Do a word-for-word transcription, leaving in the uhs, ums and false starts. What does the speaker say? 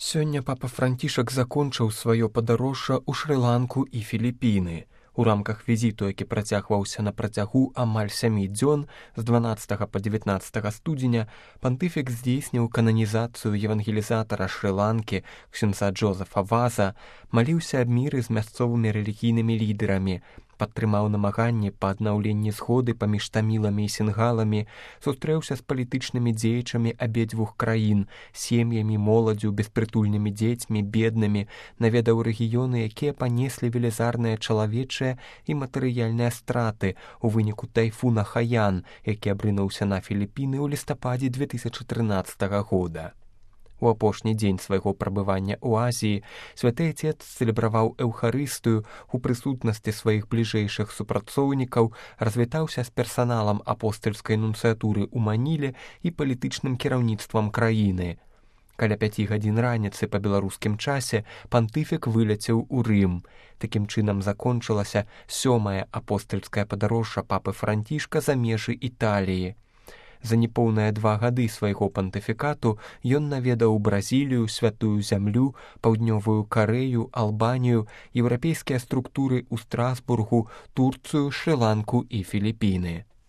Сёння папа Францішак закончыў сваё падарожжа ў Шры-Ланку і Філіпіны. У рамках візіту, які працягваўся на працягу амаль сямі дзён з дванаццатага па дзевятнаццатага студзеня, пантыфік здзейсніў кананізацыю евангелізатара Шры-Ланкі ксёндза Джозефа Ваза, маліўся аб міры з мясцовымі рэлігійнымі лідэрамі, падтрымаў намаганні па аднаўленні згоды паміж таміламі і сінгаламі, сустрэўся з палітычнымі дзеячамі абедзвюх краін, сем'ямі, моладзю, беспрытульнымі дзецьмі, беднымі, наведаў рэгіёны, якія панеслі велізарныя чалавечыя і матэрыяльныя страты ў выніку тайфуна Хаян, які абрынуўся на Філіпіны ў лістападзе дзве тысячы трынаццатага года. У апошні дзень свайго прабывання ў Азіі святы Отец цэлебраваў эўхарыстыю у прысутнасці сваіх бліжэйшых супрацоўнікаў, развітаўся з персаналам апостальскай нунцыятуры ў Маніле і палітычным кіраўніцтвам краіны. Каля пяці гадзін раніцы па беларускім часе пантыфік выляцеў у Рым. Такім чынам закончылася сёмае апостальскае падарожжа папы Францішка за межы Італіі. За непоўныя два гады свайго пантыфікату ён наведаў Бразілію, Святую Зямлю, Паўднёвую Карэю, Албанію, еўрапейскія структуры ў Страсбургу, Турцыю, Шры-Ланку і Філіпіны.